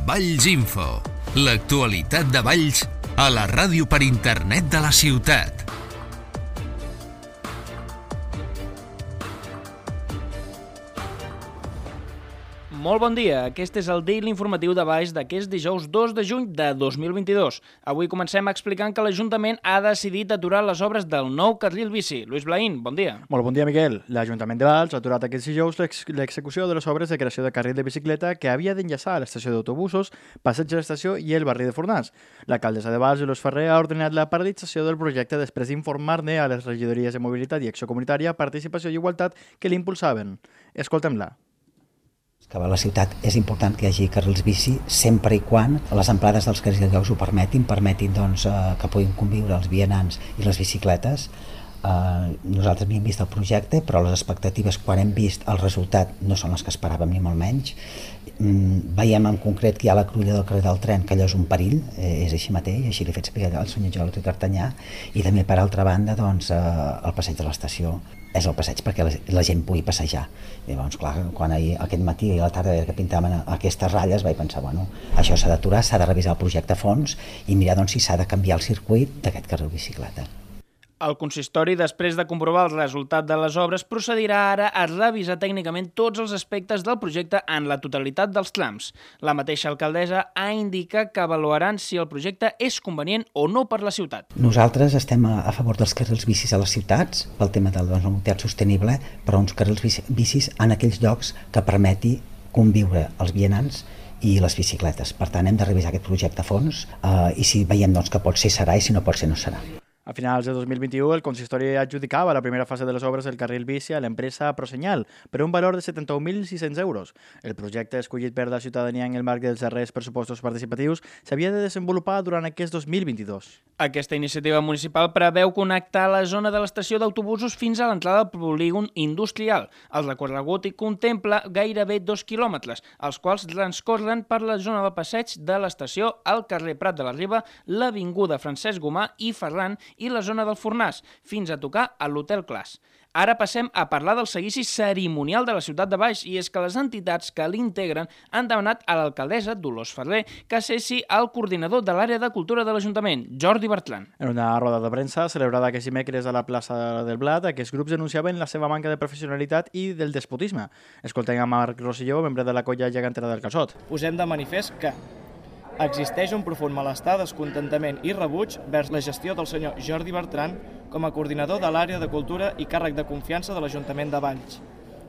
Valls Info, l'actualitat de Valls a la ràdio per internet de la ciutat. Molt bon dia, aquest és el Daily Informatiu de Valls d'aquest dijous 2 de juny de 2022. Avui comencem explicant que l'Ajuntament ha decidit aturar les obres del nou carril bici. Lluís Blaín, bon dia. Molt bon dia, Miquel. L'Ajuntament de Valls ha aturat aquest dijous l'execució de les obres de creació de carril de bicicleta que havia d'enllaçar l'estació d'autobusos, passeig de l'estació i el barri de Fornàs. L'alcaldessa de Valls, Dolors Ferrer, ha ordenat la paralització del projecte després d'informar-ne a les regidories de Mobilitat i Acció Comunitària, Participació i Igualtat que l'impulsaven. Escoltem-la. Que a la ciutat és important que hi hagi carrils bici sempre i quan les amplades dels carrils ho permetin que puguin conviure els vianants i les bicicletes. Nosaltres havíem vist el projecte, però les expectatives quan hem vist el resultat no són les que esperàvem ni molt menys. Veiem en concret que hi ha la cruïlla del carrer del tren, que allò és un perill, és així mateix, així li he fet saber al senyor Jordi D'Artanyà, i també per altra banda el passeig de l'estació és el passeig perquè la gent pugui passejar. Llavors, clar, quan aquest matí i a la tarda que pintaven aquestes ratlles vaig pensar, això s'ha d'aturar, s'ha de revisar el projecte a fons i mirar si s'ha de canviar el circuit d'aquest carril bicicleta. El consistori, després de comprovar el resultat de les obres, procedirà ara a revisar tècnicament tots els aspectes del projecte en la totalitat dels trams. La mateixa alcaldessa ha indicat que avaluaran si el projecte és convenient o no per la ciutat. Nosaltres estem a favor dels carrils bicis a les ciutats, pel tema de la mobilitat sostenible, però uns carrils bicis en aquells llocs que permeti conviure els vianants i les bicicletes. Per tant, hem de revisar aquest projecte a fons i si veiem que pot ser serà i si no pot ser no serà. A finals de 2021, el consistori adjudicava la primera fase de les obres del carril bici a l'empresa Prosenyal per un valor de 71.600 euros. El projecte escollit per la ciutadania en el marc dels darrers pressupostos participatius s'havia de desenvolupar durant aquest 2022. Aquesta iniciativa municipal preveu connectar la zona de l'estació d'autobusos fins a l'entrada del polígon industrial. El recorregut hi contempla gairebé 2 quilòmetres, els quals transcorren per la zona del passeig de l'estació, el carrer Prat de la Riba, l'avinguda Francesc Gomà i Ferran i la zona del Fornàs, fins a tocar a l'Hotel Clas. Ara passem a parlar del seguici cerimonial de la ciutat de Valls, i és que les entitats que l'integren han demanat a l'alcaldessa, Dolors Ferrer, que cessi el coordinador de l'àrea de cultura de l'Ajuntament, Jordi Bertran. En una roda de premsa celebrada aquest dimecres a la plaça del Blat, aquests grups denunciaven la seva manca de professionalitat i del despotisme. Escoltem a Marc Rosselló, membre de la colla gegantera del Calçot. Posem de manifest que existeix un profund malestar, descontentament i rebuig vers la gestió del senyor Jordi Bertran com a coordinador de l'àrea de cultura i càrrec de confiança de l'Ajuntament de Valls.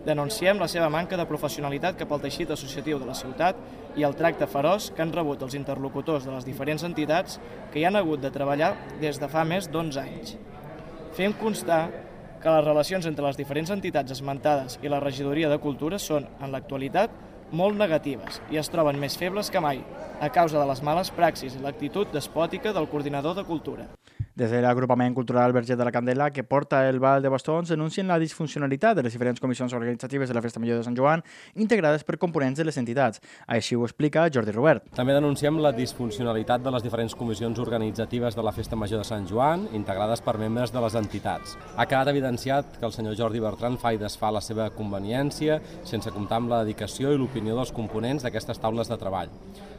Denunciem la seva manca de professionalitat cap al teixit associatiu de la ciutat i el tracte feroç que han rebut els interlocutors de les diferents entitats que hi han hagut de treballar des de fa més d'11 anys. Fem constar que les relacions entre les diferents entitats esmentades i la regidoria de cultura són, en l'actualitat, molt negatives i es troben més febles que mai a causa de les males praxis i l'actitud despòtica del coordinador de cultura. Des de l'agrupament cultural Verger de la Candela, que porta el Ball de Bastons, denuncien la disfuncionalitat de les diferents comissions organitzatives de la Festa Major de Sant Joan, integrades per components de les entitats. Així ho explica Jordi Robert. També denunciem la disfuncionalitat de les diferents comissions organitzatives de la Festa Major de Sant Joan, integrades per membres de les entitats. Ha quedat evidenciat que el senyor Jordi Bertran fa i desfà la seva conveniència, sense comptar amb la dedicació i l'opinió dels components d'aquestes taules de treball.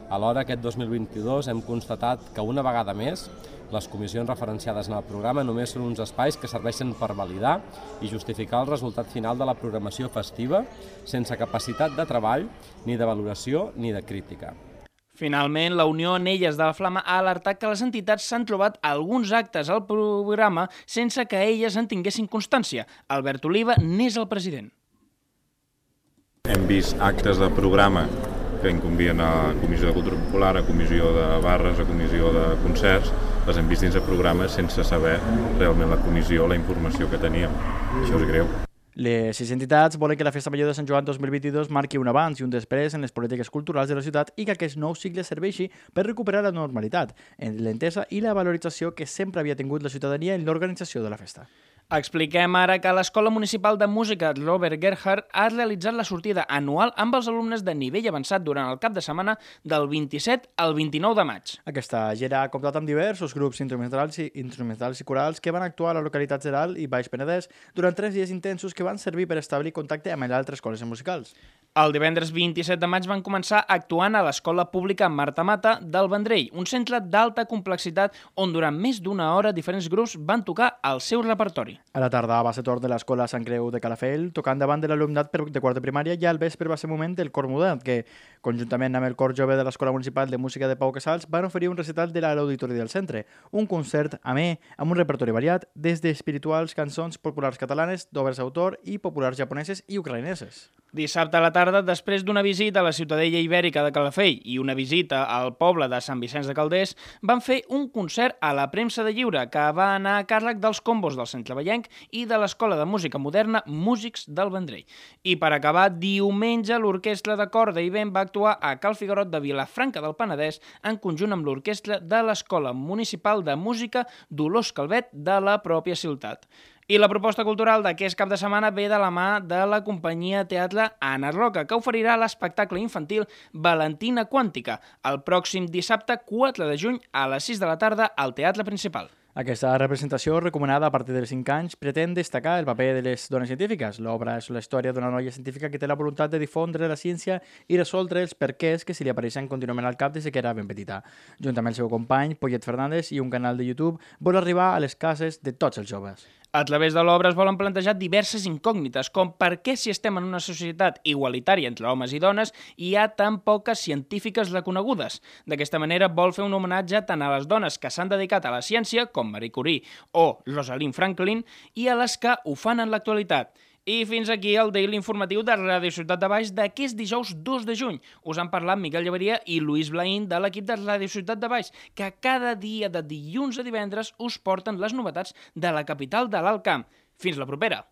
Alhora, aquest 2022 hem constatat que una vegada més les comissions referenciades en el programa només són uns espais que serveixen per validar i justificar el resultat final de la programació festiva sense capacitat de treball, ni de valoració ni de crítica. Finalment, la Unió Anelles de la Flama ha alertat que les entitats s'han trobat alguns actes al programa sense que elles en tinguessin constància. Albert Oliva n'és el president. Hem vist actes de programa que incumbien a Comissió de Cultura Popular, a Comissió de Barres, a Comissió de Concerts, les hem vist dins de programes sense saber realment la comissió, la informació que teníem. Això és greu. Les 6 entitats volen que la Festa Major de Sant Joan 2022 marqui un abans i un després en les polítiques culturals de la ciutat i que aquest nou cicle serveixi per recuperar la normalitat, l'entesa i la valorització que sempre havia tingut la ciutadania en l'organització de la festa. Expliquem ara que l'Escola Municipal de Música Robert Gerhard ha realitzat la sortida anual amb els alumnes de nivell avançat durant el cap de setmana del 27 al 29 de maig. Aquesta gira ha comptat amb diversos grups instrumentals i corals que van actuar a la localitat Geral i Baix Penedès durant 3 dies intensos que van servir per establir contacte amb altres escoles musicals. El divendres 27 de maig van començar actuant a l'Escola Pública Marta Mata del Vendrell, un centre d'alta complexitat on durant més d'una hora diferents grups van tocar el seu repertori. A la tarda va ser torn de l'Escola Sant Creu de Calafell, tocant davant de l'alumnat de quart de primària, i al vespre va ser moment del Cor Modern, que, conjuntament amb el Cor Jove de l'Escola Municipal de Música de Pau Casals, van oferir un recital de l'Auditori del Centre, un concert amè amb un repertori variat, des d'espirituals, cançons populars catalanes, d'obres d'autor i populars japoneses i ucraïneses. Dissabte a la tarda, després d'una visita a la Ciutadella Ibèrica de Calafell i una visita al poble de Sant Vicenç de Calders, van fer un concert a la Premsa de Lliure que va anar a càrrec dels combos del Centre Vallenc i de l'Escola de Música Moderna Músics del Vendrell. I per acabar, diumenge l'Orquestra de Corda i Vent va actuar a Cal Figuerot de Vilafranca del Penedès en conjunt amb l'Orquestra de l'Escola Municipal de Música Dolors Calvet de la pròpia ciutat. I la proposta cultural d'aquest cap de setmana ve de la mà de la companyia teatre Anna Roca, que oferirà l'espectacle infantil Valentina Quàntica el pròxim dissabte 4 de juny a les 6 de la tarda al Teatre Principal. Aquesta representació, recomanada a partir dels 5 anys, pretén destacar el paper de les dones científiques. L'obra és la història d'una noia científica que té la voluntat de difondre la ciència i resoldre els perquès que se li apareixen contínuament al cap des que era ben petita. Junt amb el seu company, Poyet Fernández, i un canal de YouTube, vol arribar a les cases de tots els joves. A través de l'obra es volen plantejar diverses incògnites, com per què si estem en una societat igualitària entre homes i dones hi ha tan poques científiques reconegudes. D'aquesta manera vol fer un homenatge tant a les dones que s'han dedicat a la ciència, com Marie Curie o Rosalind Franklin, i a les que ho fan en l'actualitat. I fins aquí el Daily informatiu de Ràdio Ciutat de Baix d'aquest dijous 2 de juny. Us han parlat Miquel Llaveria i Lluís Blaín de l'equip de Ràdio Ciutat de Baix, que cada dia de dilluns a divendres us porten les novetats de la capital de l'Alt Camp. Fins la propera!